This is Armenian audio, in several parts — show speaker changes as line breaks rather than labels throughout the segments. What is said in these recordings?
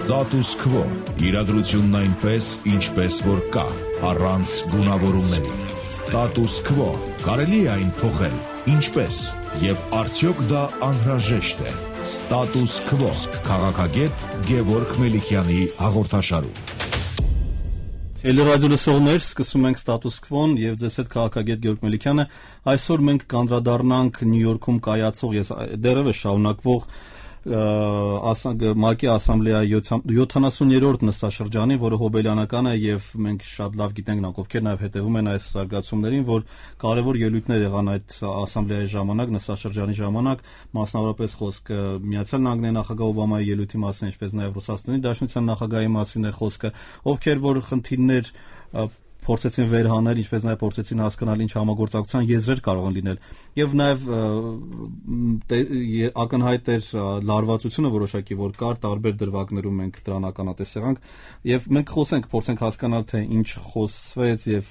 Status quo. Իրադրությունն այնպես, ինչպես որ կա, առանց գունավորումների։ Status quo. Կարելի է այն փոխել, ինչպես, եւ արդյոք դա անհրաժեշտ է։ Status quo. Քաղաքագետ Գևորգ Մելիքյանի հաղորդաշարում։
Էլի ռադիոլսողներ, սկսում ենք Status Quo-ն եւ ձեզ հետ քաղաքագետ Գևորգ Մելիքյանը։ Այսօր մենք կանդրադառնանք Նյու Յորքում կայացող դեռևս շարունակվող ՄԱԿ-ի ասամբլեայի 70-րդ նստաշրջանին, որը հոբելյանական է եւ մենք շատ լավ գիտենք նրանք ովքեր նաեւ հետեւում են այս զարգացումներին, որ կարեւոր ելույթներ եղան այդ ասամբլեայի ժամանակ, նստաշրջանի ժամանակ, մասնավորապես խոսքը Միացյալ Նահանգների նախագահ Օբամայի ելույթի մասին, ինչպես նաեւ Ռուսաստանի Դաշնության նախագահի մասին է խոսքը, ովքեր որ խնդիրներ փորձեցին վերհանել, ինչպես նաև փորձեցին հասկանալ ինչ համագործակցության եզրեր կարող են լինել եւ նաև ակնհայտ էր լարվածությունը որոշակի որ կար տարբեր դրվագներում մենք դրան ականատես եղանք եւ մենք փորձենք հասկանալ թե ինչ խոսվեց եւ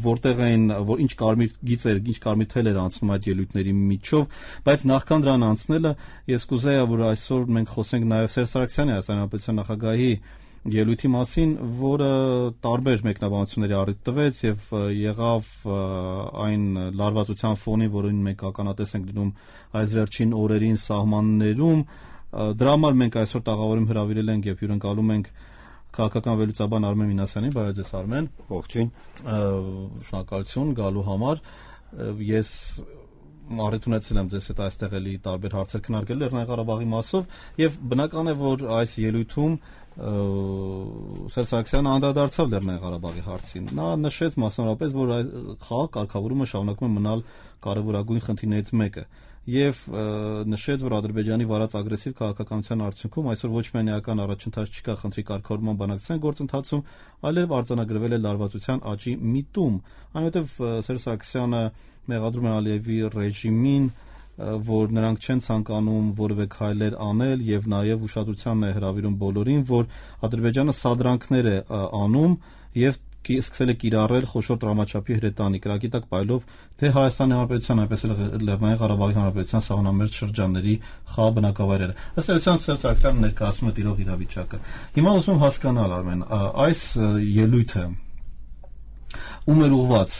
որտեղ էին որ ինչ կարմիր գիծեր, ինչ կարմիր թել էր անցնում այդ ելույթների միջով, բայց նախքան դրան անցնելը ես կուզեի որ այսօր մենք խոսենք նաև Սերժ Սարգսյանի հայաստանյան նախագահի ելույթի մասին, որը տարբեր մեկնաբանությունների առիթ տվեց եւ եղավ այն լարվածության ֆոնին, որին մենք ականատես ենք լինում այս վերջին օրերին սահմաններում, դրա համար մենք այսօր տաղավարում հրավիրել ենք եւ հյուրընկալում ենք քաղաքական վերլուծաբան Արմեն Մինասյանին, բարև ձեզ Արմեն։
Ողջույն։
Շնորհակալություն գալու համար։ Ես առիթ ունեցել եմ ձեզ հետ այստեղ էլի տարբեր հարցեր քննարկել Լեռնային Ղարաբաղի մասով եւ բնական է որ այս ելույթում Սերժ Սարգսյանը անդրադարձավ Լեռնային Ղարաբաղի հարցին։ Նա նշեց մասնավորապես, որ խաղ կարգավորումը շարունակում է մնալ կարևորագույն խնդիրներից մեկը եւ նշեց, որ Ադրբեջանի վարած ագրեսիվ քաղաքականության արդյունքում այսօր ոչ միայն էական առաջընթաց չկա խնդրի կարգավորման բանակցային գործընթացում, այլև արձանագրվել է լարվածության աճի միտում, այնուհետեւ Սերժ Սարգսյանը մեղադրում է Ալիևի ռեժիմին, որ նրանք չեն ցանկանում որևէ քայլեր անել եւ նաեւ ուշադրությանն է հրավիրում բոլորին, որ Ադրբեջանը սադրանքներ է անում եւ սկսել է կիրառել խոշոր տրամաչափի հրետանի կրակի տակ պայլով թե Հայաստանի Հանրապետության, այնպես էլ Լեռնային Ղարաբաղի Հանրապետության սահմանամերձ շրջանների խաղ բնակավայրերը։ Ըստ էության Սերժ Սարգսյանը ներկայացնում է տիրող իրավիճակը։ Հիմա ուզում եմ հասկանալ Արմեն, այս ելույթը ում էր ուղված,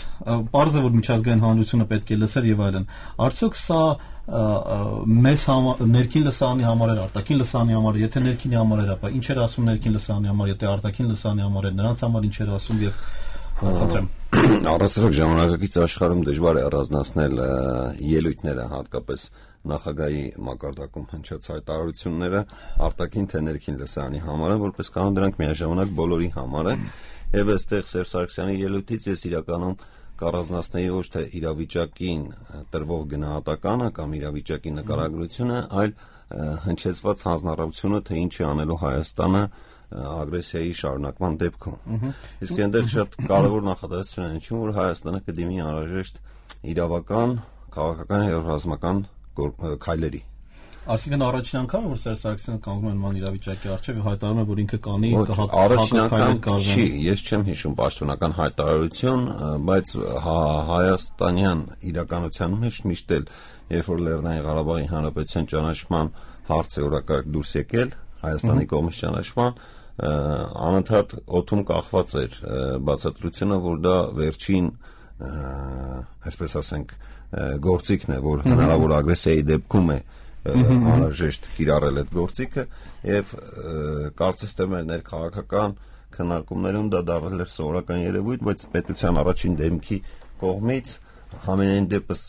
պարզ է որ միջազգային հանրությունը պետք է լսեր եւ այլն, արդյոք սա մեզ ներքին լսարանի համար էր, արտաքին լսարանի համար, եթե ներքինի համար էր, ապա ինչ էր ասում ներքին լսարանի համար, եթե արտաքին լսարանի համար էր, նրանց համար ինչ էր ասում եւ խնդրեմ։
Առասարակ ժամանակակից աշխարհում դժվար է առանձնացնել ելույթները, հատկապես նախագահի մակարդակում հնչած հայտարարությունները արտաքին թե ներքին լսարանի համար են, որպես կանոն դրանք միաժամանակ բոլորի համար են։ Եվ այստեղ Սերժ Սարգսյանի ելույթից ես իրականում կառանձնացնեի ոչ թե իրավիճակին տրվող գնահատականը կամ իրավիճակի նկարագրությունը, այլ հնչեցված հանձնառությունը, թե ինչ է անելու Հայաստանը ագրեսիայի շարունակման դեպքում։ Իսկ այնտեղ շատ կարևոր նախադասություն է հնչում, որ Հայաստանը կդիմի անհրաժեշտ իրավական, քաղաքական եւ ռազմական քայլերի։
Այսինքն առաջին անգամ որ Սերժ Սարգսյանը կանգնում է նման իրավիճակի առջև եւ հայտարարում է, որ ինքը կանի
առաջին անգամ չի, ես չեմ հիշում պաշտոնական հայտարարություն, բայց հայաստանյան իրականության մեջ միշտ էլ երբ որ Լեռնային Ղարաբաղի Հանրապետության ճանաչման հարցը օրակարգ դուրս եկել, Հայաստանի կողմից ճանաչման, անընդհատ օդում կախված էր բացատրությունը, որ դա վերջին, այսպես ասենք, գործիքն է, որ հնարավոր ագրեսիայի դեպքում է անհրաժեշտ կիրառել այդ գործիքը եւ կարծես թե մեր ներքաղաքական քննարկումներում դա դարձել էր սովորական երևույթ, բայց պետության առաջին դեմքի կողմից համենայն դեպս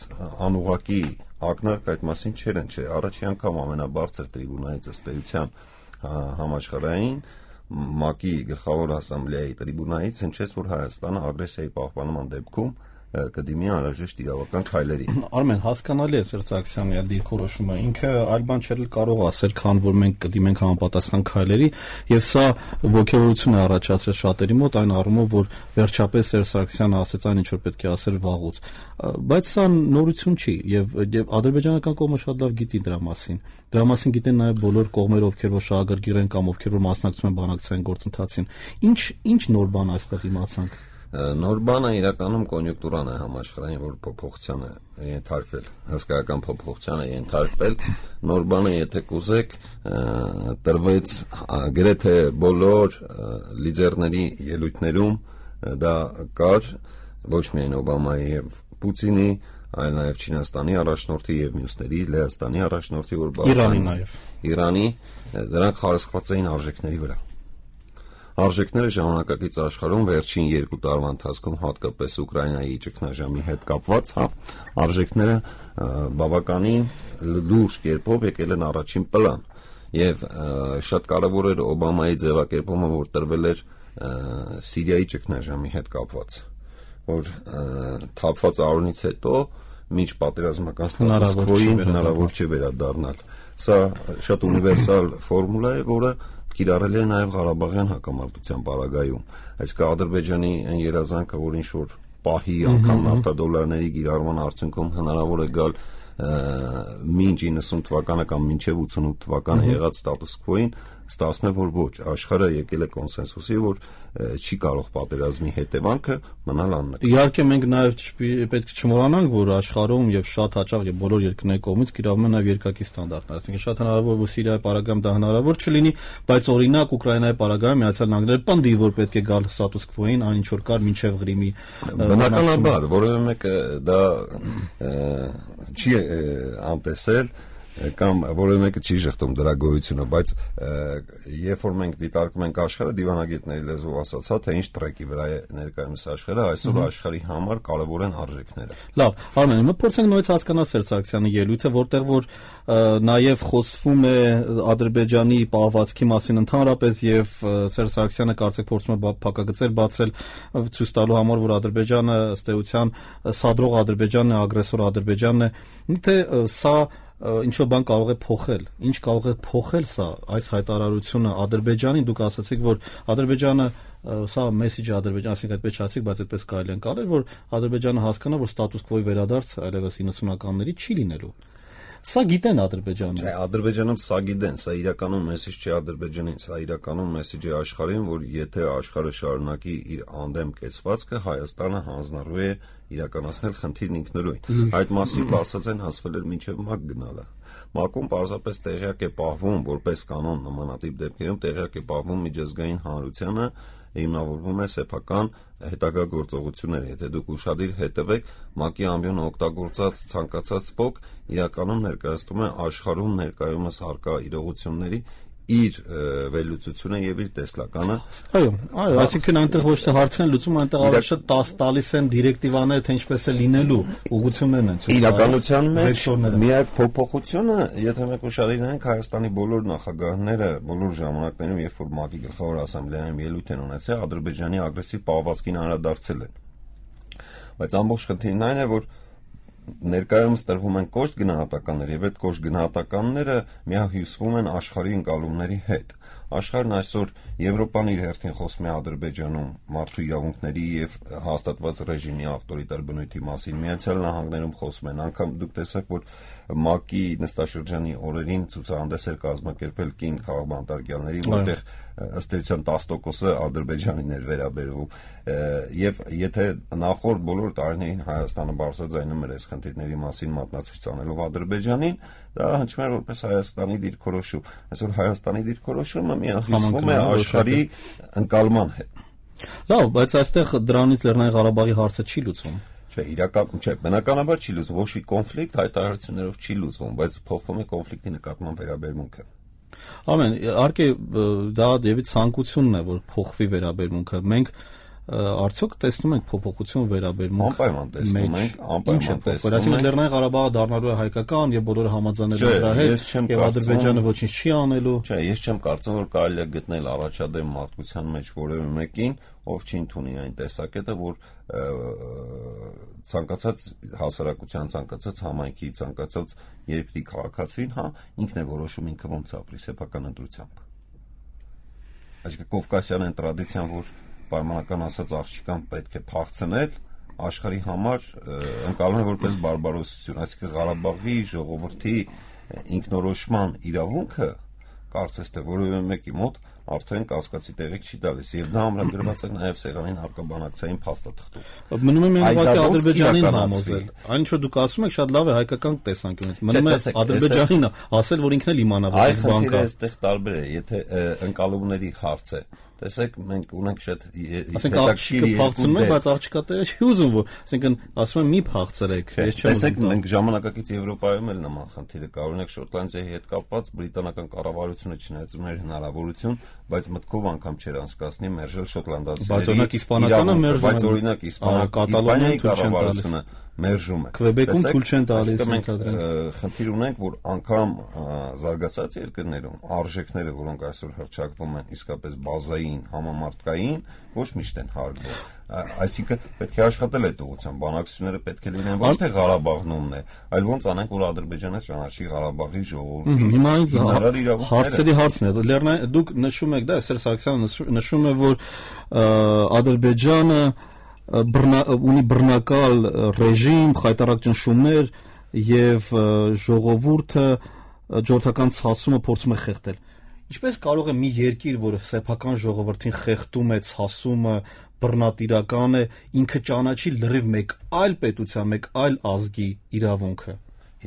անուղղակի ակնարկ այդ մասին չէր ընչե։ Առաջին անգամ ամենաբարձր տրիբունայից ըստ էության համաշխարհային ՄԱԿ-ի գլխավոր ասամբլեայի տրիբունայից հնչեց, որ Հայաստանը ագրեսիայի պահպանման դեպքում կդիմի անհրաժեշտ իրավական քայլերի։
Արմեն, հասկանալի է Սերժ Սարգսյանի դիրքորոշումը, ինքը այլ բան չէր կարող ասել, քան որ մենք կդիմենք համապատասխան քայլերի, եւ սա ոգևորություն է առաջացրել շատերի մոտ այն առումով, որ վերջապես Սերժ Սարգսյանը ասեց այն ինչ որ պետք է ասել վաղուց։ Բայց սա նորություն չի եւ ադրբեջանական կողմը շատ լավ գիտի դրա մասին։ Դրա մասին գիտեն նաեւ բոլոր կողմերը, ովքեր որ շահագրգիռ են կամ ովքեր որ մասնակցում են բանակցային գործընթացին։ Ինչ նոր բան այստեղ իմացանք։
Նոր բանը իրականում կոնյունկտուրան է համաշխարհային, որ փոփոխության է ենթարկվել, հսկայական փոփոխության է ենթարկվել։ Նոր բանը, եթե կուզեք, տրվեց գրեթե բոլոր լիդերների ելույթներում, դա կար ոչ միայն Օբամայի եւ Պուտինի, այլ նաեւ Չինաստանի առաջնորդի եւ մյուսների, Լեհաստանի առաջնորդի, որ
Իրանի նաեւ
Իրանի, դրանք խարսխված էին արժեքների վրա։ Արժեքները ժամանակակից աշխարհում վերջին 2 տարվա ընթացքում հատկապես Ուկրաինայի ճգնաժամի հետ կապված, արժեքները բավականին լուրջ կերպով եկել են առաջին պլան եւ շատ կարեւոր էր Օբամայի ձևակերպումը, որ տրվել էր Սիրիայի ճգնաժամի հետ կապված, որ թափված արոնից հետո մինչ պատերազմական ստատուս-քվոյին հնարավոր չէ վերադառնալ։ Սա շատ ունիվերսալ ֆորմուլա է, որը կիրառել է նաև Ղարաբաղյան հակամարտության պարագայում։ Այսինքն Ադրբեջանի այն երազանքը, որ ինչ-որ պահի անգամ նավթադոլարների կիրառման արդյունքում հնարավոր է գալ մինչ 90 թվականը կամ մինչև 88 թվականը եղած ստատուս-քվոյին, ստացվում է, որ ոչ, աշխարհը եկել է կոնսենսուսի, որ չի կարող պատերազմի հետևանքը մնալ աննկատ։
Իհարկե մենք նաև պետք է չմոռանանք, որ աշխարհում եւ շատ հաճախ եւ բոլոր երկրների կողմից կիրառվում են նաև երկակի ստանդարտներ, այսինքն շատ հնարավոր որ Սիրիայի պարագայում դա հնարավոր չլինի, բայց օրինակ Ուկրաինայի պարագայում Միացյալ Նահանգները պնդի, որ պետք է գալ ստատուս-քվոյին, այն ինչ որ կար մինչև Ղրիմի։
Բնականաբար, որովհետեւ մեկը դա չի անտեսել կամ որևէ մեկը չի շղթում դրա գոյությունը, բայց երբ որ մենք դիտարկում ենք աշխարհը, դիվանագետների լեզվով ասած, թե ինչ տրեկի վրա է ներկայումս աշխարհը, այսօր աշխարհի համար կարևոր են արժեքները։
Լավ, Արմեն, մենք փորձենք նույնիսկ հասկանալ Սերժ Սարգսյանի ելույթը, որտեղ որ նաև խոսվում է Ադրբեջանի պահվածքի մասին ընդհանրապես եւ Սերժ Սարգսյանը կարծեք փորձում է փակագծեր բացել ցույց տալու համար, որ Ադրբեջանը ըստ էության սադրող Ադրբեջանն է, ագրեսոր Ադրբեջանն է։ Թե սա ինչ-որ բան կարող է փոխել, ինչ կարող է փոխել սա, այս հայտարարությունը Ադրբեջանին, դուք ասացիք, որ Ադրբեջանը սա մեսիջը Ադրբեջան, ասենք այդպես չասիք, բայց այդպես կարելի է անցնել, որ Ադրբեջանը հասկանա, որ ստատուս քվոյի վերադարձ այլևս 90-ականների չի լինելու։ Սա գիտեն Ադրբեջանում։
Չէ, Ադրբեջանում սա գիտեն, սա իրականում մեսիջ չի Ադրբեջանին, սա իրականում մեսիջ է աշխարհին, որ եթե աշխարհը շարունակի իր անդեմ կեցվածքը, Հայաստանը հանձնարարու է իրականացնել խնդիրն ինքնուրույն։ Այդ մասին ասած են հասվել էր մինչև ՄԱԿ գնալը։ ՄԱԿ-ում պարզապես տեղյակ է պահվում, որպես կանոն նմանատիպ դեպքերում տեղյակ է պահվում միջազգային հանրությանը, հիմնավորվում է սեփական հետագա գործողությունները։ Եթե դուք ուշադիր հետևեք, ՄԱԿ-ի ամբիոնը օգտագործած ցանկացած փոք իրականում ներկայացնում է աշխարհում ներկայումս առկա իրողությունների իր վերլուծությունը եւ իր տեսլականը։
Այո, այսինքն այնտեղ ոչ թե հարցն են լուծում, այնտեղ ավելի շատ տալիս են դիրեկտիվաներ, թե ինչպես է լինելու, ուղղություններն են ցույց տալիս։
Իրականության մեջ միակ փոփոխությունը, եթե մենք ուշադիր ենք, Հայաստանի բոլոր նախագահները բոլոր ժամանակներում, երբ որ ՄԱԿ-ի գլխավոր ասամբլեայում ելույթ են ունեցել, Ադրբեջանի ագրեսիվ պահվածքին անդրադարձել են։ Բայց ամբողջ խնդիրն այն է, որ ներկայումս տրվում են կոշտ գնահատականներ եւ այդ կոշտ գնահատականները միահյուսվում են աշխարհի ընկալումների հետ։ Աշխարհն այսօր Եվրոպան իր հերթին խոսում է Ադրբեջանում մարդու իրավունքների եւ հաստատված ռեժիմի ավտորիտար բնույթի մասին, Միացյալ Նահանգներում խոսում են, անգամ դուք տեսաք, որ ՄԱԿ-ի նստաշրջանի օրերին ցուցահանդես էր կազմակերպել կին քաղաքապետարյանների, որտեղ ըստ էության 10%-ը Ադրբեջանին էր վերաբերվում, եւ եթե նախորդ բոլոր տարիներին Հայաստանը բարձրաձայնում էր այս խնդիրների մասին մատնացույց անելով Ադրբեջանին, դա հնչում էր որպես Հայաստանի դիրքորոշում։ Այսօր Հայաստանի դիրքորոշումը միահյուսվում է աշխարհի ընկալման հետ։
Լավ, բայց այստեղ դրանից Լեռնային Ղարաբաղի հարցը չի լուծվում։
Չէ, բնականաբար չի լուծվում, ոչ մի կոնֆլիկտ հայտարարություններով չի լուծվում, բայց փոխվում է կոնֆլիկտի նկատմամբ վերաբերմունքը։
Ամեն, իհարկե դա դեպի ցանկությունն է, որ փոխվի վերաբերմունքը։ Մենք արդյոք տեսնում ենք փոփոխություն վերաբերմունք։
Անպայման տեսնում ենք, անպայման տեսնում ենք։
Այսինքն Լեռնային Ղարաբաղը դառնալու է հայկական եւ բոլորը համաձայնելու դրա հետ, եւ Ադրբեջանը ոչինչ չի անելու։
Չէ, ես չեմ կարծում, որ կարելի է գտնել առաջադեմ մարդկության մեջ որևէ մեկին, ով չի ընդունի այն տեսակետը, որ ցանկացած հասարակության, ցանկացած համայնքի, ցանկացած երկրի քաղաքացին, ինքն է որոշում ինքը ոնց ապրի սեփական ընտրությամբ։ Այսինքն Կովկասյան այն տրադիցիան, որ պայմանական ասած աղջիկան պետք է փախցնել, աշխարհի համար ընկալվում է որպես բարբարոսություն, այսինքն Ղարաբաղի ժողովրդի ինքնորոշման իրավունքը կարծես թե որևէ մեկի մոտ արդեն կասկածի տեղիք չի տալիս եւ դա ամրագրված է նաեւ սեղանին հարկաբանակցային փաստաթղթում։
Մնում է միայն ուղղակի Ադրբեջանին համոզել։ Այն ինչ որ դուք ասում եք շատ լավ է հայկական տեսանկյունից։ Մնում է Ադրբեջանին ասել, որ ինքն էլ իմանա, որ
այս բանկը այստեղ տարբեր է, եթե ընկալումների հարց է։ Տեսեք, մենք ունենք շատ
հետաքրքիր փախցնում ենք, բայց աղջիկա տեղը չի ուզում, որ ասենքն ասում են մի փախցրեք, ես չեմ ուզում։
Տեսեք, մենք ժամանակակից Եվրոպայում էլ նման խնդիրը կա, օրինակ Շոտլանդիայի հետ կապված բրիտանական կառավարությունը չնայած ուներ հնարավորություն, բայց մտքով անգամ չէր անցկացնի մերժել շոտլանդացիների։
Բայց օրինակ իսպանականը մերժում է,
բայց օրինակ Իսպանիայի կառավարությունը մերժում է։
Քվեբեկում թույլ չեն տալիս։
Մենք խնդիր ունենք, որ անգամ զարգացած երկրներում արժեքները, որոնք այսօր հռչակվում են իսկապես բազային, համամարտկային, ոչ միշտ են հարգվում։ Այսինքն պետք է աշխատել այդ ուղղությամբ, բանակցությունները պետք է լինեն ոչ թե Ղարաբաղնումն է, այլ ոնց անենք, որ Ադրբեջանը ճանաչի Ղարաբաղի ժողովրդի հիմնարար իրավունքները։
Հարցերի հարցն է։ Դուք նշում եք, դա Սերժ Սարգսյանը նշում է, որ Ադրբեջանը ունի բռնակալ ռեժիմ, խայտառակ ճնշումներ եւ ժողովուրդը ժողովրդական ցասումը փորձում է խեղդել։ Ինչպես կարող է մի երկիր, որ սեփական ժողովրդին խեղդում է, ցասումը, բռնատիրական է, ինքը ճանաչի լրիվ մեկ այլ պետության, մեկ այլ ազգի իրավունքը։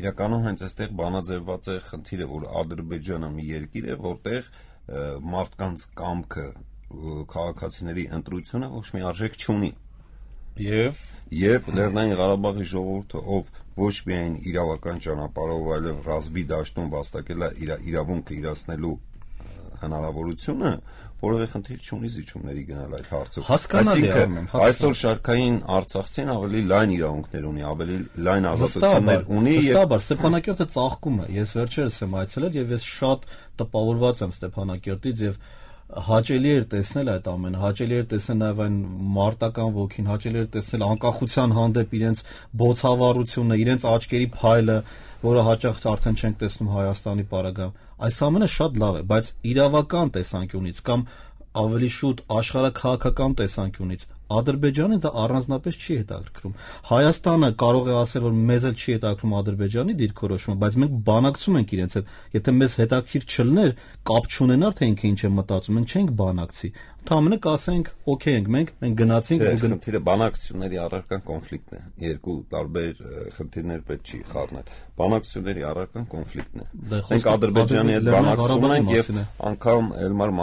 Իրականում հենց այստեղ բանաձևված է խնդիրը, որ Ադրբեջանը մի երկիր է, որտեղ մարդկանց կամքը, քաղաքացիների ընտրությունը ոչ մի արժեք չունի։ Եվ Լեռնային Ղարաբաղի ժողովուրդը, ով ոչ միայն իրավական ճանապարհով, այլև ռազմի դաշտում վաստակել է իր իրավունքը իրացնելու հնարավորությունը, որովհետև խնդիր չունի զիջումների գնալ այդ հարցով։
Այսինքն
այսօր շարքային արցախցին ավելի լայն իրավունքներ ունի, ավելի լայն ազատություններ ունի
եւ վստահաբար Ստեփանակերտը ծաղկում է։ Ես վերջերս եմ այցելել եւ ես շատ տպավորված եմ Ստեփանակերտից եւ հաճելի էր տեսնել այդ ամենը, հաճելի էր տեսնել նաև այն մարտական ոգին, հաճելի էր տեսնել անկախության հանդեպ իրենց բոցավառությունը, իրենց աչքերի փայլը, որը հաճախ արդեն չենք տեսնում Հայաստանի պարագայում։ Այս ամենը շատ լավ է, բայց իրավական տեսանկյունից կամ ավելի շուտ աշխարհաքաղաքական տեսանկյունից Ադրբեջանը դա առանձնապես չի հետաքրքրում։ Հայաստանը կարող է ասել, որ մեզ էլ չի հետաքրքրում Ադրբեջանի դիրքորոշումը, բայց մենք բանակցում ենք իրենց հետ։ Եթե մեզ հետաքրքիր չլներ, կապ չունենար, թե ինքը ինչ է մտածում, մենք չենք բանակցի։ Ընդհանրապես կասենք, օքեյ ենք մենք գնացինք
ու խնդիրը բանակցությունների առարկան կոնֆլիկտն է։ Երկու տարբեր խնդիրներ պետք չի խառնել։ Բանակցությունների առարկան կոնֆլիկտն է։ Մենք Ադրբեջանի հետ բանակցում ենք եւ անգամ Էլմար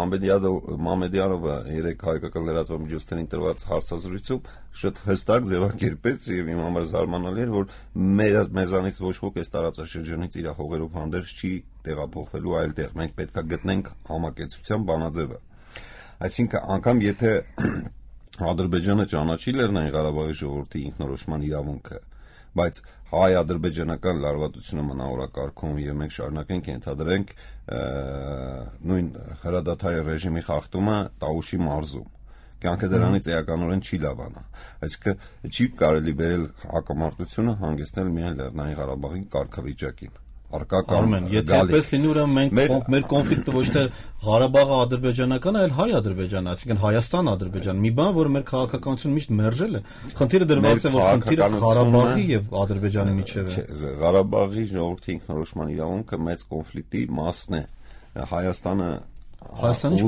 Մամեդյարովը երեք հայկական լրատվամիջոցներին տրված հարցազրույցում շատ հստակ ձևակերպեց եւ իմ համար զարմանալի էր, որ մեզանից ոչ ոք այս տարածաշրջանից իր հողերով հանդերձ չի տեղափոխվելու այլտեղ։ Մենք պետք է գտնենք համակեցության բանաձևը։ Այսինքն անգամ եթե Ադրբեջանը ճանաչի Լեռնային Ղարաբաղի ժողովրդի ինքնորոշման իրավունքը, բայց հայ-ադրբեջանական լարվածությունը մնա օրակարգում եւ մենք շարունակենք ենթադրենք նույն հրադադարի ռեժիմի խախտումը Տաուշի մարզում, կյանքը դրանից էականորեն չի լավանա։ Այսինքն չի կարելի բերել հակամարտությունը հանգեցնել միայն Լեռնային Ղարաբաղի կարգավիճակին։
Արմեն, եթե այդպես լինի, ուրեմն մենք մեր կոնֆլիկտը ոչ թե Ղարաբաղը ադրբեջանական է, այլ հայ-ադրբեջան, այսինքն Հայաստան-ադրբեջան։ Մի բան, որը մեր քաղաքականությունը միշտ մերժել է։ Խնդիրը դրված է, որ խնդիրը Ղարաբաղի եւ Ադրբեջանի միջեւ է։
Ղարաբաղի ժողովրդի ինքնորոշման իրավունքը մեծ կոնֆլիկտի մասն է։ Հայաստանը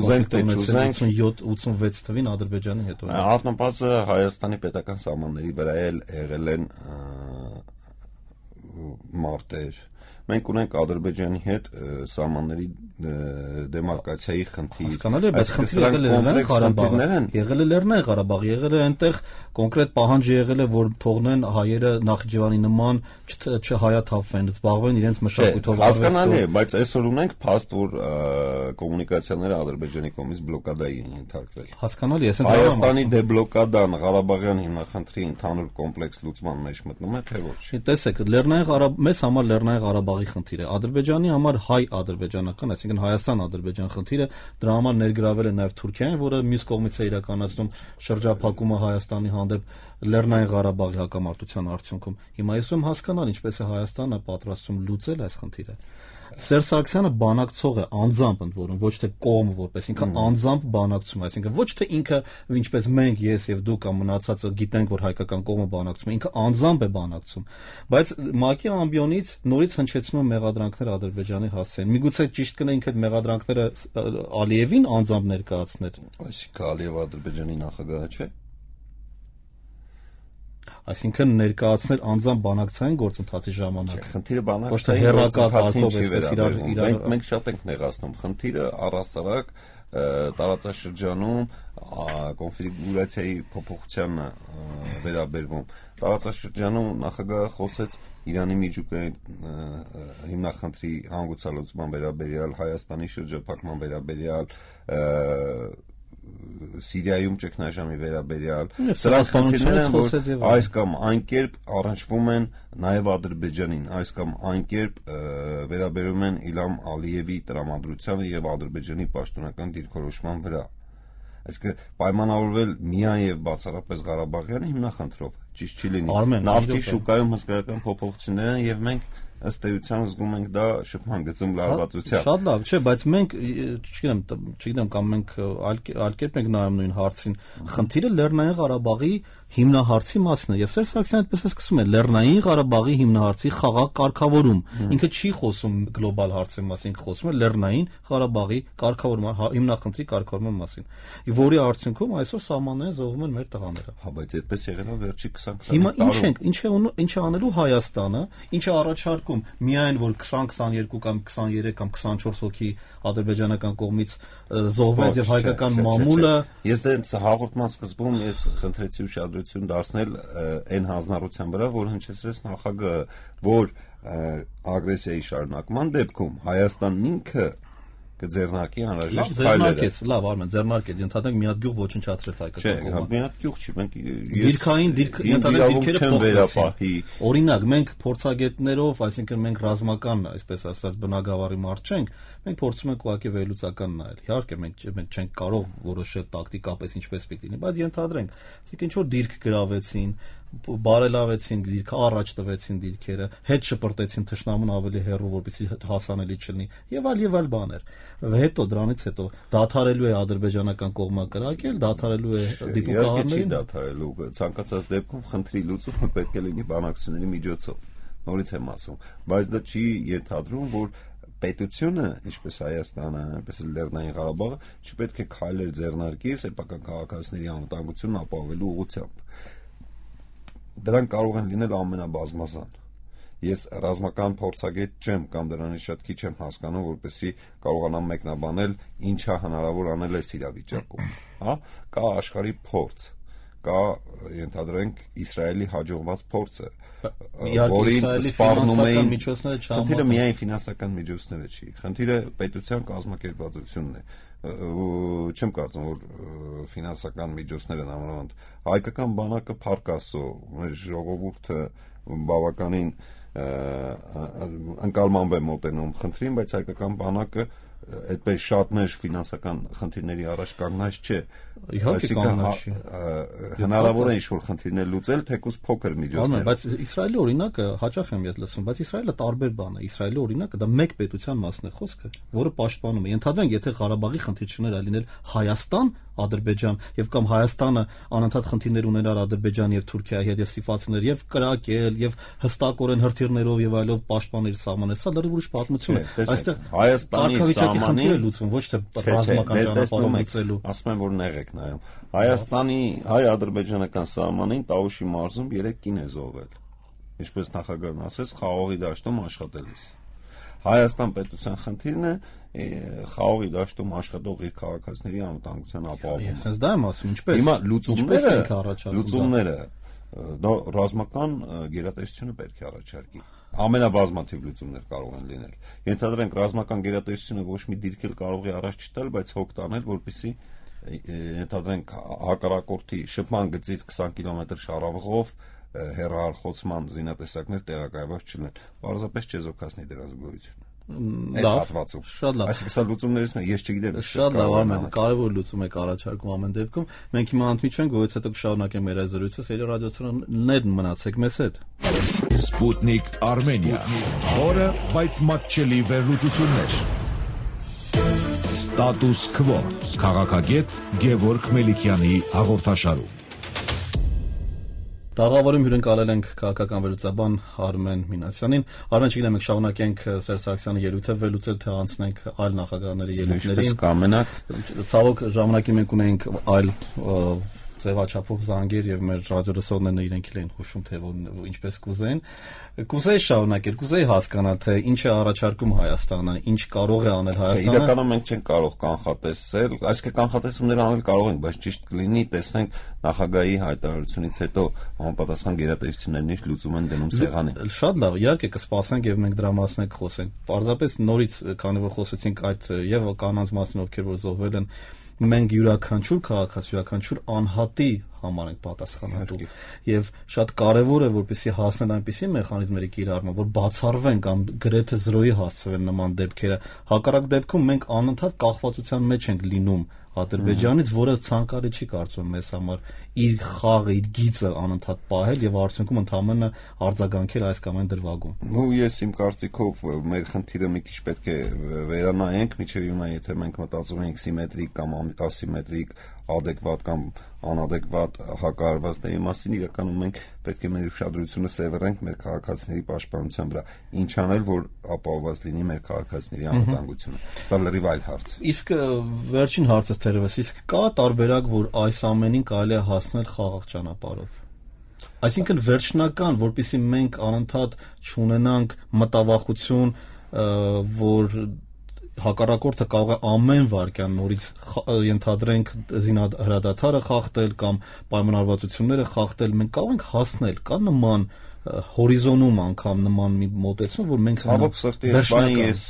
ուզենք թե չուզենք 87-86 թվին Ադրբեջանի հետ ունի։
Առնվազն Հայաստանի պետական սահմանների վրա եղել են մարտեր։ Մենք ունենք Ադրբեջանի հետ սահմանների դեմարկացիայի խնդիր։
Հասկանալի է, բայց խնդիրը եղել է Լեռնային Ղարաբաղ, եղել է այնտեղ կոնկրետ պահանջ եղել է, որ թողնեն հայերը Նախիջևանի նման չհայաթափվեն, զբաղվեն իրենց մշակույթով։
Հասկանալի է, բայց այսօր ունենք փաստ, որ կոմունիկացիաները Ադրբեջանի կողմից բլոկադայի են ենթարկվել։
Հասկանալի է,
Հայաստանի դեբլոկադան Ղարաբաղյան հիմնախնդրի ընդհանուր կոմպլեքս լուծման մեջ մտնում է, թե ոչ։
Տեսեք, մեզ համար Լեռնային Ղարաբաղի խնդիրը, Ադրբեջանի համար հայ-ադրբեջանական, այսինքն Հայաստան-Ադրբեջան խնդիրը, դրա համար ներգրավել է նաև Թուրքիան, որը մյուս կողմից է իրականացնում շրջափակումը Հայաստանի հանդեպ Լեռնային Ղարաբաղի հակամարտության արդյունքում։ Հիմա ես ում հասկանալ, ինչպես է Հայաստանը պատրաստվում լուծել այս խնդիրը։ Սերժ Սարգսյանը բանակցող է, անձամբ ընդ որում, ոչ թե կողմը որպես ինքը անձամբ բանակցում է, այսինքն ոչ թե ինքը ինչպես մենք, ես եւ դու կամ մնացածը գիտենք, որ հայկական կողմը բանակցում է, ինքը անձամբ է բանակցում, բայց ՄԱԿ-ի ամբիոնից նորից հնչեցնում են մեղադրանքներ Ադրբեջանի հասցեն։ Միգուցե ճիշտ կնա ինքը այդ մեղադրանքները Ալիևին անձամբ ներկայացներ։
Այսինքն Ալիևը Ադրբեջանի նախագահը չէ։
Այսինքն ներկայացնել անձամբ բանակցային գործընթացի ժամանակ։
Խնդիրը բանակցային գործընթացին չի վերաբերվում։ Մենք շատ ենք նեղացնում։ Խնդիրը առհասարակ տարածաշրջանում կոնֆիգուրացիայի փոփոխության վերաբերվում։ Տարածաշրջանում նախագահը խոսեց Իրանի միջուկային հիմնախնդրի հանգուցալուծման վերաբերյալ, Հայաստանի շրջափակման վերաբերյալ, Սիրիայում ճգնաժամի վերաբերյալ, սրանց խնդիրները, որ այս կամ այն կերպ առնչվում են նաև Ադրբեջանին, այս կամ այն կերպ վերաբերում են Իլհամ Ալիևի տրամադրությանը եւ Ադրբեջանի պաշտոնական դիրքորոշման վրա։ Այսինքն պայմանավորվել միայն եւ բացառապես Ղարաբաղյան հիմնախնդրով ճիշտ չի լինի։ Նավթի շուկայում հսկայական փոփոխություններ են եւ մենք ըստ էության զգում ենք դա շփման գծում լարվածությամբ։
Շատ լավ, չէ, բայց մենք չգիտեմ կամ մենք այլ կերպ ենք նայում նույն հարցին։ Խնդիրը Լեռնային Ղարաբաղի հիմնահարցի մասն է։ Եվ Սերժ Սարգսյանը այդպես է սկսում է Լեռնային Ղարաբաղի հիմնահարցի խաղաղ կարգավորում։ Ինքը չի խոսում գլոբալ հարցերի մասին, ինքը խոսում է Լեռնային Ղարաբաղի կարգավորման, հիմնախնդրի կարգավորման մասին, որի արդյունքում այսօր սահմանները զոհվում են մեր տղաները։
Հա, բայց այդպես եղել է վերջի 20-20
Հիմա ինչ է անելու Հայաստանը, ինչ է առաջարկում, միայն որ 20-22 կամ 23 կամ 24 հոգի ադրբեջանական կողմից զոհվեց եւ հայկական մամուլը։
Ես դեռ հաղորդման սկզբում ես խնդրեցի ուշադրություն դարձնել այն հանձնառության վրա, որ հնչեցրեց նախագահը, որ ագրեսիայի շարունակման դեպքում Հայաստանն ինքը կձեռնարկի անհրաժեշտ
քայլերը։ Լավ, Արմեն, ձեռնարկեց, ընդհանրապես մի հատ գյուղ ոչնչացրեց հայկական կողմը։
Չէ, մի հատ գյուղ չի, մենք
դիրքային դիրքերը փոխվեցին։ Օրինակ, մենք փորձագետներով, այսինքն մենք ռազմական, այսպես ասած, բնագավառի մարդ չենք, մենք փորձում ենք ուղղակի վերլուծական նայել։ Իհարկե, մենք չենք կարող որոշել տակտիկապես ինչպես պիտի լինի, բայց ենթադրենք, այսինքն ինչ որ դիրք գրավեցին, բարելավեցին դիրքը, առաջ տվեցին դիրքերը, հետ շպրտեցին թշնամուն ավելի հեռու, որպեսզի հասանելի չլինի, եւ այլ բաներ։ Հետո դրանից հետո դադարելու է ադրբեջանական կողմը կրակել, դադարելու է դիպուկահարներին։
Դադարելու ցանկացած դեպքում խնդրի լուծումը պետք է լինի բանակցությունների միջոցով։ Նորից եմ ասում, բայց դա չի ենթադրում, որ պետությունը, ինչպես Հայաստանը, այնպես էլ Լեռնային Ղարաբաղը, չպետք է քայլեր ձեռնարկի սեփական քաղաքացիների անվտանգությունն ապահովելու ուղղությամբ։ Դրանք կարող են լինել ամենաբազմազան։ Ես ռազմական փորձագետ չեմ կամ դրանից շատ քիչ եմ հասկանում, որպեսզի կարողանամ մեկնաբանել ինչա հնարավոր անել այս իրավիճակում, հա, կա աշխարհի փորձ, կա ենթադրենք Իսրայելի հաջողված փորձը, որին սպառնում էին խնդիրը միայն ֆինանսական միջոցները չի, խնդիրը պետության կազմակերպվածությունն է։ Չեմ կարծում, որ ֆինանսական միջոցները նամանավանդ հայկական բանակը փառք Աստծո, մեր ժողովուրդը բավականին ընկալմանվ է մոտենում խնդրին, բայց հայկական բանակը այդպես շատ մեր ֆինանսական խնդիրների առաջ կանգնած չէ։
Իհարկե կանգնած չի։
Հնարավոր է ինչ-որ խնդիրներ լուծել, թեկուզ փոքր միջոցներ։
Բայց Իսրայելի օրինակը հաճախ եմ ես լսում, բայց Իսրայելը տարբեր բան է։ Իսրայելի օրինակը դա մեկ պետության մասն է խոսքը, որը պաշտպանում է։ Ենթադրենք, եթե Ղարաբաղի խնդիր չներ լինել Հայաստան, Ադրբեջան եւ կամ Հայաստանը անընդհատ խնդիրներ ունենար Ադրբեջանի եւ Թուրքիայի հետ եւ սիֆացներ եւ կրակել եւ հստակորեն հրթիռներով եւ այլով պաշտպանել սահմանը, սա դեռ ուրիշ պատմություն է։ Այստեղ
Հայաստանի
սահմանը լուծվում, ոչ թե ռազմական ճանապարհով լուծելու։
Ասում են, որ նեղ եք նայում։ Հայաստանի հայ-ադրբեջանական սահմանին Տաուշի մարզում 3 կին է զոհվել։ Ինչպես նախագահն ասեց, խաղողի դաշտում աշխատելիս։ Հայաստան պետության խնդիրն է խաղողի դաշտում աշխատող իր քաղաքացիների անվտանգության ապահովումը։
Ես դա եմ ասում, ինչպես։
Հիմա լուծումները դա ռազմական գերատեսչությունը պետք է առաջարկի։ Ամենաբազմաթիվ լուծումներ կարող են լինել։ Ենթադրենք ռազմական գերատեսչությունը ոչ մի դիրք էլ կարող է առաջ չտալ, բայց հոգ տանել, որպեսզի ենթադրենք հակառակորդի շփման գծից 20 կիլոմետր շարավղով հեռահարխոցման զինատեսակներ տեղակայված չլինեն։ Պարզապես չեզոքացնի դրանց գոյությունը։ այդ հատվածում։
Շատ լավ։
Այսինքն սա լուծումներից մեկը, ես չգիտեմ։
Շատ լավ, Արմեն, կարևոր լուծում եք առաջարկում ամեն դեպքում։ Մենք հիմա ընդմիջենք, որից հետո կշարունակենք մեր այս զրույցը, սիրելի ռադիոթողիչներ, մնացեք մեզ հետ։
Sputnik Armenia, խորը, բայց մատչելի վերլուծություններ։ Status Quo, քաղաքագետ Գևորգ Մելիքյանի հաղորդաշարում։
Տաղավարում հյուրընկալել ենք քաղաքական վերլուծաբան Արմեն Մինասյանին։ Արմեն, չգիտեմ, մենք շարունակենք Սերժ Սարգսյանի ելույթը վերլուծել, թե անցնենք այլ նախագահների ելույթներին։
Ինչպես կամենաք։
Ցավոք ժամանակի մենք ունենք այլ ձևաչափով զանգեր եւ մեր ռադիոլսողներն իրենք էլ են հուշում, թե ինչպես կուզեն։ Կուզեի շարունակել, կուզեի հասկանալ, թե ինչ է առաջարկում Հայաստանը, ինչ կարող է անել Հայաստանը։
Իրականում մենք չենք կարող կանխատեսել, այսինքն կանխատեսումներ անել կարող ենք, բայց ճիշտ կլինի տեսնենք նախագահի հայտարարությունից հետո համապատասխան գերատեսչություններն ինչ լուծում են դնում սեղանին։
Շատ լավ, իհարկե կսպասենք եւ մենք դրա մասին կխոսենք։ Պարզապես նորից, քանի որ խոսեցինք այդ եւ կանանց մասին, ովքեր որ զոհվել են, մենք յուրաքանչյուր քաղաքացի, յուրաքանչյուր անհատի համար ենք պատասխանատու եւ շատ կարեւոր է որպեսզի հասնել այնպիսի մեխանիզմերի կիրառման, որ բացառվեն կամ գրեթե զրոյի հասցվեն նման դեպքերը։ Հակառակ դեպքում մենք անընդհատ կախվածության մեջ ենք լինում Ադրբեջանից, որը ցանկալի չի կարծում մեզ համար իր խաղը, իր գիծը անընդհատ պահել եւ արդյունքում ընդհանրապես արձագանքել այս կամ այն դրվագում։
Ու ես իմ կարծիքով մեր խնդիրը մի քիչ պետք է վերանայենք, միջև հիմա եթե մենք մտածում ենք սիմետրիկ կամ ասիմետրիկ, adekvat կամ անadekvat հակահարվածների մասին, իրականում մենք պետք է մեր ուշադրությունը սևեռենք մեր քաղաքացիների պաշտպանության վրա։ Ինչ անել, որ ապահովված լինի մեր քաղաքացիների անվտանգությունը։ Սա լրիվ այլ հարց է։
Իսկ վերջին հարցը թերևս, իսկ կա տարբերակ, որ այս ամենին կարելի է հասնել խաղաղ ճանապարհով։ Այսինքն վերջնական, որpիսի մենք անընդհատ չունենանք մտավախություն, որ հակառակորդը կարող է ամեն վարքյան նորից ենթադրենք զինահրադադարը խախտել կամ պայմանավորվածությունները խախտել, մենք կարող ենք հասնել, կա նման հորիզոնում անգամ նման մի մոտեցում, որ մենք
ցավոք սրտի ես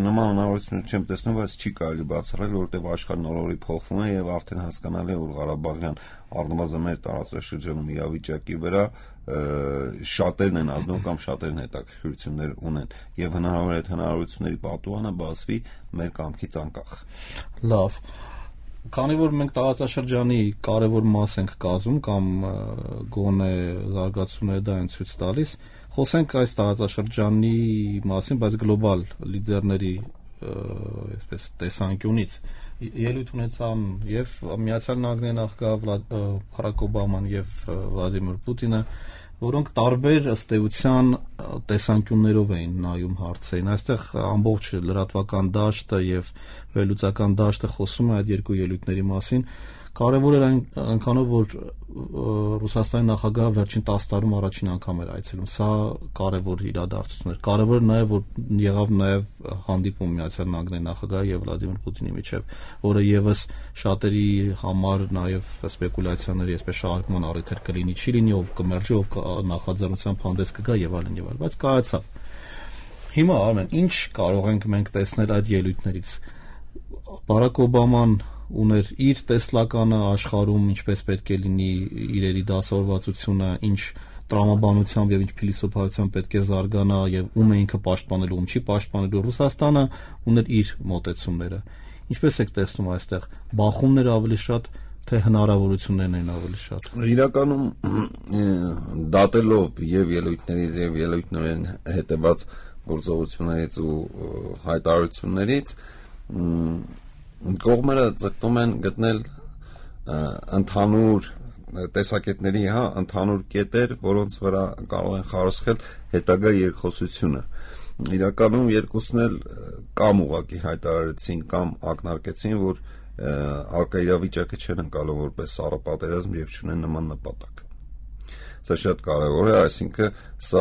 նման հնարավորություն չեմ տեսնում, բայց չի կարելի բացառել, որովհետև աշխարհն օրորի փոխվում է եւ արդեն հասկանալի է, որ Ղարաբաղյան առնվազն մեր տարածաշրջանում իրավիճակի վրա շատերն են ազդում կամ շատերն հետաքրքրություններ ունեն եւ հնարավոր է այդ հնարավորությունների պատուհանը բացվի մեր կամքից անկախ։
Լավ, քանի որ մենք տարածաշրջանի կարևոր մաս ենք կազմում կամ գոնե զարգացումները դա են ցույց տալիս, խոսենք այս տարածաշրջանի մասին, բայց գլոբալ լիդերների այսպես տեսանկյունից ելույթ ունեցան եւ Միացյալ Նահանգների նախագահ Բարակ Օբաման եւ Վլադիմիր Պուտինը, որոնք տարբեր ըստ էության տեսանկյուններով էին նայում հարցերին։ Այստեղ ամբողջ լրատվական դաշտը եւ վերլուծական դաշտը խոսում է այդ երկու ելույթների մասին։ Կարևոր էր այնքանով, որ Ռուսաստանի նախագահը վերջին 10 տարում առաջին անգամ էր այցելում։ Սա կարևոր իրադարձություն էր։ Կարևոր է նաև, որ եղավ նաև հանդիպում Միացյալ Նահանգների նախագահի եւ Վլադիմիր Պուտինի միջև, որը եւս շատերի համար նաև սպեկուլյացիաների այսպես շարժման առիթ էր կլինի, չի լինի, ով կմերժի, ով նախաձեռնությամբ հանդես կգա եւ այլն եւ այլն, բայց կայացավ։ Հիմա Արմեն, ինչ կարող ենք մենք տեսնել այդ ելույթներից։ Բարակ Օբաման ուներ իր տեսլականը աշխարհում, ինչպես պետք է լինի իրերի դասավորվածությունը, ինչ տրամաբանությամբ եւ ինչ փիլիսոփայությամբ պետք է զարգանա եւ ում է ինքը պաշտպանելու, ում չի պաշտպանելու։ Ռուսաստանը ուներ իր մոտեցումները։ Ինչպես եք տեսնում այստեղ բախումները ավելի շատ, թե հնարավորություններն են ավելի շատ։
Իրականում դատելով եւ ելույթներից եւ ելույթներին հետեւած գործողություններից ու հայտարարություններից կողմերը ձգտում են գտնել ընդհանուր տեսակետների, ընդհանուր կետեր, որոնց վրա կարող են խարսխել հետագա երկխոսությունը։ Իրականում երկուսն էլ կամ ուղղակի հայտարարեցին, կամ ակնարկեցին, որ արկա իրավիճակը չեն ընկալում որպես սառապատերազմ եւ չունեն նման նպատակ։ Սա շատ կարևոր է, այսինքն սա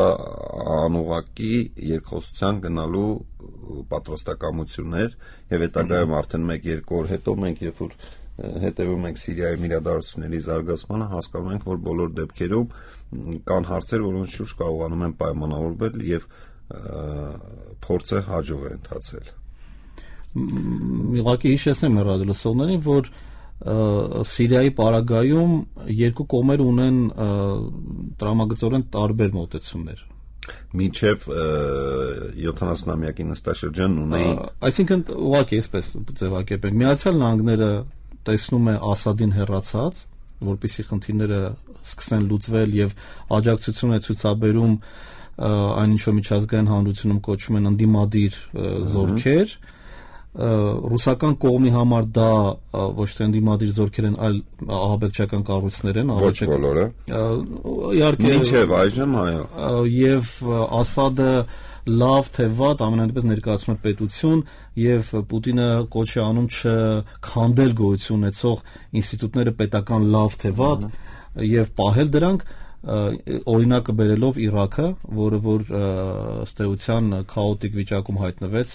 անուղղակի երկխոսության գնալու պատրաստակամություններ եւ հետագայում արդեն 1-2 օր հետո մենք երբ որ հետևում ենք Սիրիայում իրադարձությունների զարգացմանը, հասկանում ենք, որ բոլոր դեպքերում կան հարցեր, որոնց շուրջ կարողանում են պայմանավորվել եւ փորձը հաջող է ընթացել։
Ուղղակի հիշեցնեմ ռադիոլսողներին, որ Սիրիայի պարագայում երկու կողմեր ունեն տրամագծորեն տարբեր մոտեցումներ։
Մինչև 70-ամյակի նստաշրջանն ունեին,
այսինքն ուղղակի այսպես ձևակերպենք, Միացյալ Նահանգները տեսնում է Ասադին հեռացած, որպեսզի խնդիրները սկսեն լուծվել եւ աջակցություն է ցուցաբերում այն ինչ որ միջազգային հանրությունում կոչվում են ընդդիմադիր զորքեր, ռուսական կողմի համար դա ոչ թե ընդդիմադիր զորքեր են, այլ ահաբեկչական կառույցներ են,
ոչ բոլորը,
իհարկե
մինչև այժմ այո,
եւ Ասադը լավ թե վատ ամենայնպես ներկայացնում է պետություն եւ Պուտինը կոչ է անում չքանդել գոյություն ունեցող ինստիտուտները պետական լավ թե վատ եւ պահել դրանք, օրինակը բերելով Իրաքը, որը որ ըստ էության քաոտիկ վիճակում հայտնվեց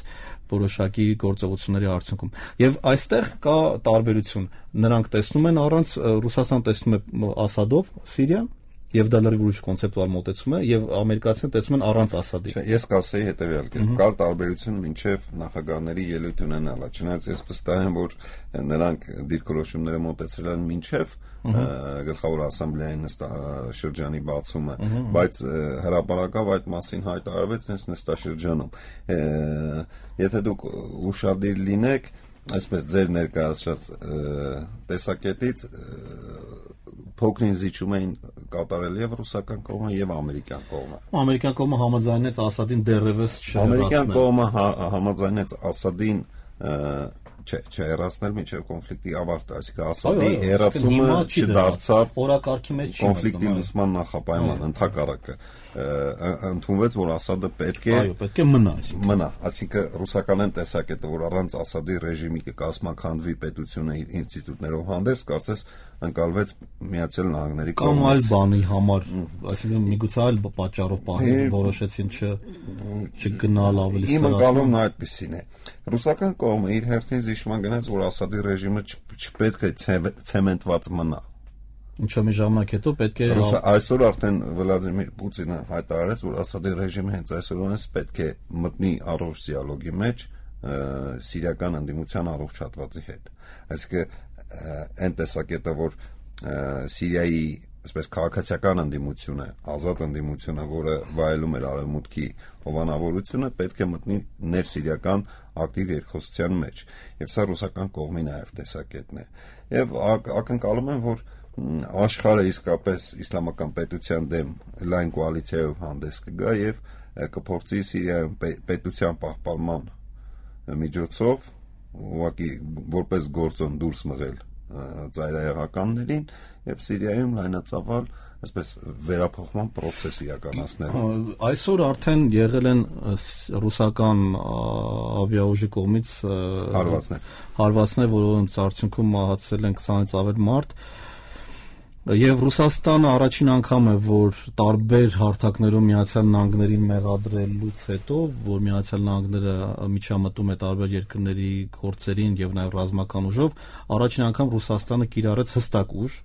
որոշակի գործողությունների արդյունքում։ Եվ այստեղ կա տարբերություն։ Նրանք տեսնում են առանց Ռուսաստանը տեսնում է Ասադով Սիրիան, եւ դա լրիվ ուրիշ կոնցեպտուալ մոտեցում է, եւ ամերիկացիները տեսնում են առանց Ասադի։
Ես կասեի հետեւյալ կերպ, կար տարբերություն մինչեւ նախագահների ելույթ ունենալը, չնայած ես վստահ եմ, որ նրանք դիրքորոշումները մոտեցրել են մինչեւ գլխավոր ասամբլեայի նստաշրջանի բացումը, բայց հրապարակավ այդ մասին հայտարարվեց հենց նստաշրջանում։ Եթե դուք ուշադիր լինեք, այսպես ձեր ներկայացրած տեսակետից փոքրին զիջում էին կատարել եւ ռուսական կողմը եւ ամերիկյան կողմը։
Ամերիկյան կողմը համաձայնեց Ասադին դեռևս չհեռացնել։
Ամերիկյան կողմը համաձայնեց Ասադին չհեռացնել մինչև կոնֆլիկտի ավարտը, այսինքն Ասադի հեռացումը չդարձավ
օրակարգի մեջ
կոնֆլիկտի լուծման նախապայման, ընդհակառակը ընդունվեց, որ Ասադը պետք է
մնա,
այսինքն ռուսական տեսակետը, որ առանց Ասադի ռեժիմի կկազմաքանդվի պետությունը իր ինստիտուտներով հանդերձ, կարծես ընկալվեց Միացյալ Նահանգների
կողմից։ Կամ այլ բանի համար, այսինքն միգուցե այլ պատճառով որոշեցին չգնալ ավելի սրասում։
Իմ ընկալումն այդպեսին է։ Ռուսական կողմը իր հերթին զիջման գնաց, որ Ասադի ռեժիմը չպետք է ցեմենտված մնա։
Ինչո՞ մի ժամանակ հետո պետք է
այսօր արդեն Վլադիմիր Պուտինը հայտարարեց, որ Ասադի ռեժիմը հենց այսօրից պետք է մտնի առողջ դիալոգի մեջ սիրիական ընդդիմության առողջ հատվածի հետ։ Այսինքն այն տեսակետը, որ Սիրիայի այսպես քաղաքացիական ընդդիմությունը, ազատ ընդդիմությունը, որը վայելում էր արևմուտքի հովանավորությունը, պետք է մտնի ներսիրիական ակտիվ երկխոսության մեջ։ Եվ սա ռուսական կողմի նաև տեսակետն է։ Եվ ակնկալում եմ, որ աշխարհը իսկապես իսլամական պետության դեմ լայն կոալիցիայով հանդես կգա եւ կփորձի Սիրիայում պետության պահպանման միջոցով ուղղակի որպես գործոն դուրս մղել ծայրահեղականներին եւ Սիրիայում լայնածավալ այսպես վերափոխման process իրականացնել։
Այսօր արդեն եղել են ռուսական ավիաուժի կողմից հարվածներ, որոնց արդյունքում մահացել են 20-ից ավել մարդ։ Եվ Ռուսաստանը առաջին անգամ է, որ տարբեր հարթակներում Միացյալ Նահանգներին մեղադրելուց հետո, որ Միացյալ Նահանգները միջամտում է տարբեր երկրների գործերին եւ նաեւ ռազմական ուժով, առաջին անգամ Ռուսաստանը կիրառեց հստակ ուժ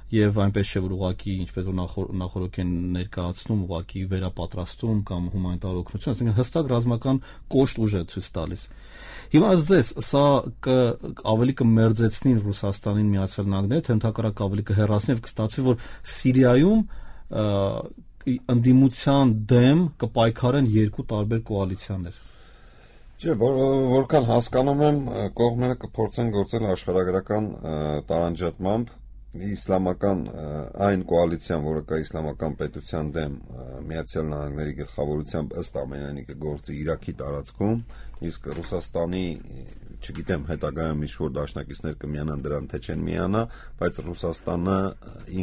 եւ այնպես չէ, որ ուղղակի ինչպես որ նախորդ են ներկայացնում, ուղղակի վերապատրաստում կամ հումանիտար օգնություն, այսինքն հստակ ռազմական կոշտ ուժ է ցույց տալիս։ Հիմա ասես, սա ավելի կմերձեցնի Ռուսաստանին Միացյալ Նահանգները, թե ընդհակառակ ավելի կհեռացնի եւ կստացվի, որ Սիրիայում ընդդիմության դեմ կպայքարեն երկու տարբեր կոալիցիաներ։
Չէ, որքան հասկանում եմ, կողմերը կփորձեն գործել աշխարհագրական տարանջատմամբ իսլամական այն կոալիցիան, որը կա իսլամական պետության դեմ Միացյալ Նահանգների գլխավորությամբ ըստ ամենայնի կգործի Իրաքի տարածքում, իսկ Ռուսաստանի, չգիտեմ, հետագայում ինչ-որ դաշնակիցներ կմիանան դրան, թե չեն միանա, բայց Ռուսաստանը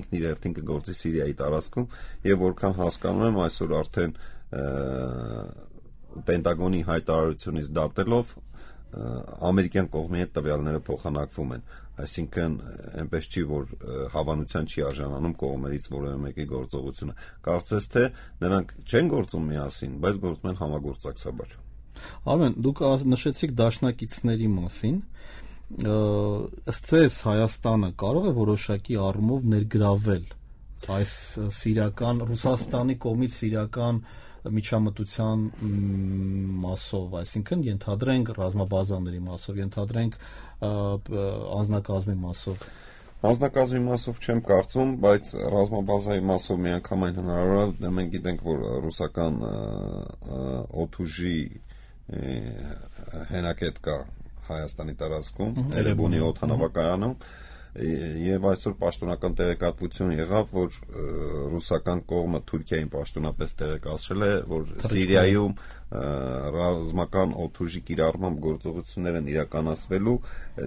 ինքն իր հերթին կգործի Սիրիայի տարածքում եւ որքան հասկանում եմ, այսօր արդեն Պենտագոնի հայտարարությունից դատելով ամերիկյան կողմի հետ տվյալները փոխանակվում են, այսինքն այնպես չի, որ հավանության չի արժանանում կողմերից որևէ մեկի գործողությունը։ Կարծես թե նրանք չեն գործում միասին, բայց գործում են համագործակցաբար։
Արմեն, դուք նշեցիք դաշնակիցների մասին, ըստ ձեզ Հայաստանը կարող է որոշակի առումով ներգրավել այս սիրիական Ռուսաստանի կողմից սիրիական միջամտության մասով, այսինքն ենթադրենք ռազմաբազաների մասով, ենթադրենք անձնակազմի մասով։
Հանձնակազմի մասով չեմ կարծում, բայց ռազմաբազայի մասով միանգամայն հնարավոր է, մենք գիտենք, որ ռուսական օդուժի հենակետ կա Հայաստանի տարածքում, Էրեբունի օդանավակայանում, եւ այսօր պաշտոնական տեղեկատվություն եղավ, որ ռուսական կողմը Թուրքիային պաշտոնապես տեղեկացրել է, որ Սիրիայում ռազմական օդուժի կիրառման գործողություններ են իրականացվելու,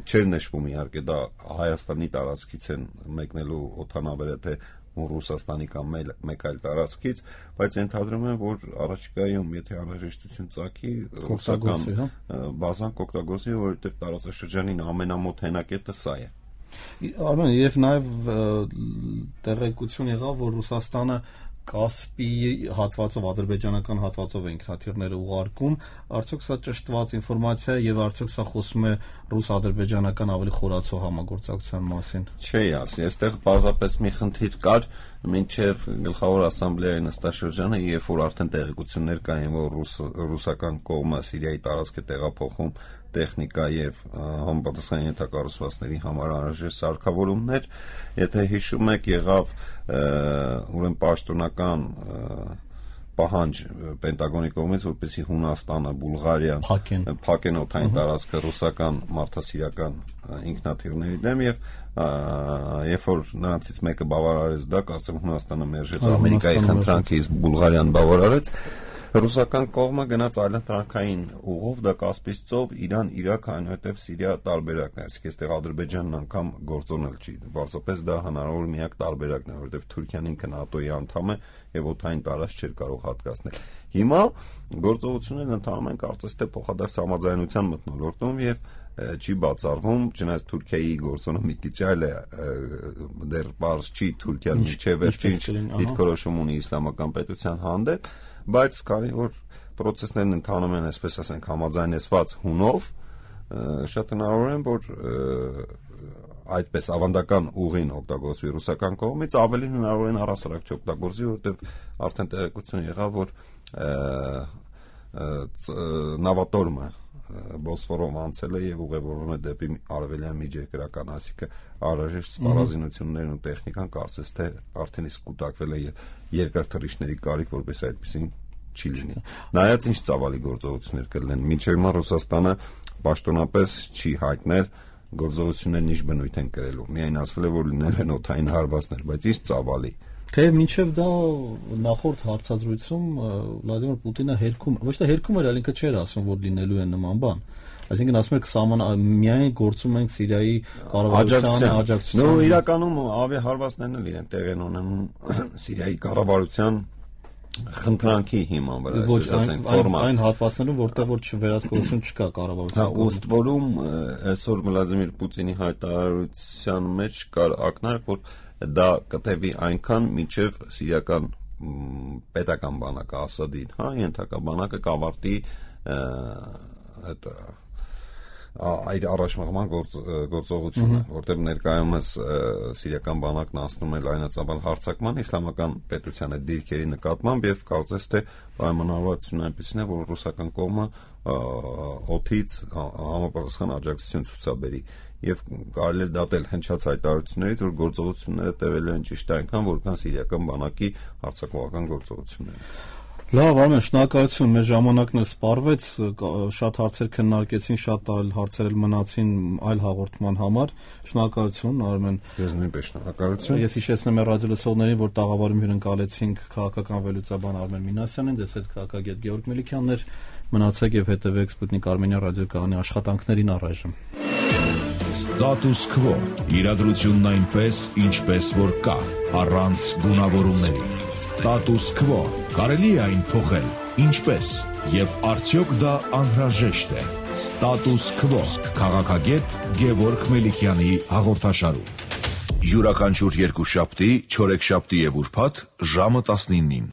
չէր նշվում իհարկե դա Հայաստանի տարածքից են մեկնելու օդանավերը, թե Ռուսաստանի կամ մեկ այլ տարածքից, բայց ենթադրում եմ, որ առաջիկայում, եթե անհրաժեշտություն ծագի, ռուսական բազան կօգտագործի, որովհետև տարածաշրջանին ամենամոտ հենակետը սա է։
Արմեն, եւ նաեւ տեղեկություն եղավ, որ Ռուսաստանը Կասպի հատվածով, ադրբեջանական հատվածով է ինքնաթիռները ուղարկում, արդյոք սա ճշտված ինֆորմացիա է եւ արդյոք սա խոսում է ռուս-ադրբեջանական ավելի խորացող համագործակցության մասին։
Չէ, այստեղ պարզապես մի խնդիր կար, մինչև գլխավոր ասամբլեայի նստաշրջանը, երբ որ արդեն տեղեկություններ կային, որ ռուսական կողմը Սիրիայի տարածք է տեղափոխում տեխնիկա եւ համապատասխան ենթակառուցվածքների համար անհրաժեշտ սարքավորումներ, եթե հիշում եք, եղավ ուրեմն պաշտոնական պահանջ Պենտագոնի կողմից, որպեսզի Հունաստանը, Բուլղարիան փակեն օդային տարածքը ռուսական մարդասիրական ինքնաթիռների դեմ եւ երբ որ նրանցից մեկը բավարարեց դա, կարծեմ Հունաստանը մերժեց Ամերիկայի խնդրանքը, իսկ Բուլղարիան բավարարեց, ռուսական կողմը գնաց այլընտրանքային ուղով, դա Կասպից ծով, Իրան, Իրաք, այնուհետև Սիրիա տարբերակն է, այսինքն այստեղ Ադրբեջանն անգամ գործոնել չի, պարզապես դա հնարավոր միակ տարբերակն է, որովհետև Թուրքիան ինքը ՆԱՏՕ-ի անդամ է եւ օդային տարածք չէր կարող հատկացնել։ Հիմա գործողություններն ընթանում են կարծես թե փոխադարձ համաձայնության մթնոլորտում եւ չի բացառվում, չնայած Թուրքիայի գործոնը մի քիչ այլ է, դեռ բարձ չի Թուրքիան միջև վերջին դիրքորոշում ունի իսլամական պետության հանդեպ, բայց քանի որ process-ներն ընթանում են, այսպես ասենք, համաձայնեցված հունով, շատ հնարավոր է, որ այդպես ավանդական ուղին օգտագործվի ռուսական կողմից, ավելի հնարավոր է առհասարակ չօգտագործվի, որովհետև արդեն տեղեկություն եղավ, որ նավատորմը Բոսֆորով անցել է եւ ուղևորվում է դեպի արևելյան միջերկրական, այսինքն անհրաժեշտ սպառազինություններն ու տեխնիկան կարծես թե արդեն իսկ կուտակվել է եւ երկար թռիչքների կարիք, որպես այդպեսին չի լինի։ Նայած ինչ ծավալի գործողություններ կլինեն, մինչև հիմա Ռուսաստանը պաշտոնապես չի հայտնել գործողություններն ինչ բնույթ են կրելու։ Միայն ասվել է, որ լինելու են օդային հարվածներ, բայց ինչ ծավալի։
Թեև մինչև դա նախորդ հարցազրույցում Վլադիմիր Պուտինը հերքում, ոչ թե հերքում էր, այլ ինքը չէր ասում, որ լինելու է նման բան։ Այսինքն ասում եք միայն գործում ենք Սիրիայի կառավարության աջակցության։
Նո, իրականում ավիահարվածներն էլ իրեն տեղ են ունենում Սիրիայի կառավարության խնդրանքի հիման վրա, այսպես ասենք, ֆորմալ։
Այն հատվածներում, որտեղ որ վերահսկողություն չկա կառավարության։
Հա, ըստ որում այսօր Վլադիմիր Պուտինի հայտարարության մեջ կար ակնարկ, որ դա կտևի այնքան, մինչև սիրիական պետական բանակը Ասադին, հա, ենթակա բանակը կավարտի այդ առաջմղման գործողությունը, որտեղ ներկայումս սիրիական բանակն անցնում է լայնածավալ հարձակման իսլամական պետության այդ դիրքերի նկատմամբ եւ կարծես թե պայմանավորվածությունն այնպեսին է, որ ռուսական կողմը օդից համապատասխան աջակցություն ցուցաբերի եւ կարելի է դատել հնչած հայտարարություններից, որ գործողությունները տևելու են ճիշտ այնքան, որքան սիրիական բանակի հարձակողական գործողությունները։
Լավ, Արմեն, շնորհակալություն, մեր ժամանակն էլ սպառվեց, շատ հարցեր քննարկեցին, շատ այլ հարցեր էլ մնացին այլ հաղորդման համար։ Շնորհակալություն, Արմեն։
Ես նույնպես շնորհակալություն։
Ես հիշեցնեմ մեր ռադիոլսողներին, որ տաղավարում հյուրընկալեցինք քաղաքական վերլուծաբան Արմեն Մինասյանին, դες հետ քաղաքագետ Գեորգ Մելիքյանն էր։ Մնացեք եւ հետեւեք Սպուտնիկ Արմենիա ռադիոկայանի աշխատանքներին առայժմ։
Status Quo. Իրադրությունն այնպես, ինչպես որ կա, առանց գունավորումների։ Status Quo. Կարելի է այն փոխել, ինչպես, եւ արդյոք դա անհրաժեշտ է։ Status Quo. Քաղաքագետ Գեորգ Մելիքյանի հաղորդաշարում։ Յուրաքանչյուր երկուշաբթի, չորեքշաբթի եւ ուրբաթ ժամը 19-ին։